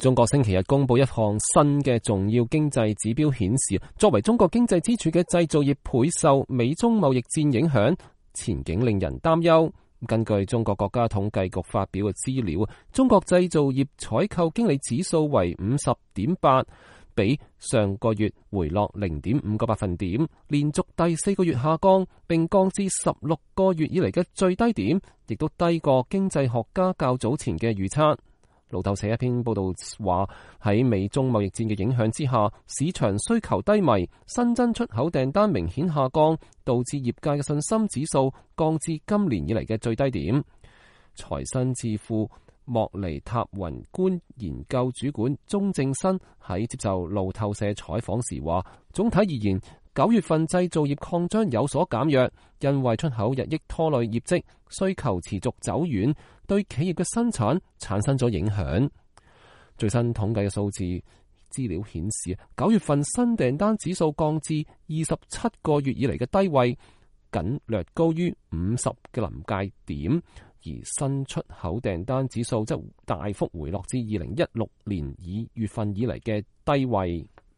中國星期日公布一項新嘅重要經濟指標，顯示作為中國經濟支柱嘅製造業倍受美中貿易戰影響，前景令人擔憂。根據中國國家統計局發表嘅資料，中國製造業採購經理指數為50.8，比上個月回落0.5個百分點，連續第4個月下降，並降至16個月以嚟嘅最低點，亦都低過經濟學家較早前嘅預測。路透社一篇報道話，喺美中貿易戰嘅影響之下，市場需求低迷，新增出口訂單明顯下降，導致業界嘅信心指數降至今年以嚟嘅最低點。財新智庫莫尼塔宏觀研究主管鐘正新喺接受路透社採訪時話，總體而言，9月份製造業擴張有所減弱，因為出口日益拖累業績，需求持續走遠，對企業嘅生產產生咗影響。最新統計嘅數字資料顯示，9月份新訂單指數降至27個月以嚟嘅低位，僅略高於50嘅臨界點，而新出口訂單指數則大幅回落至2016年2月份以嚟嘅低位。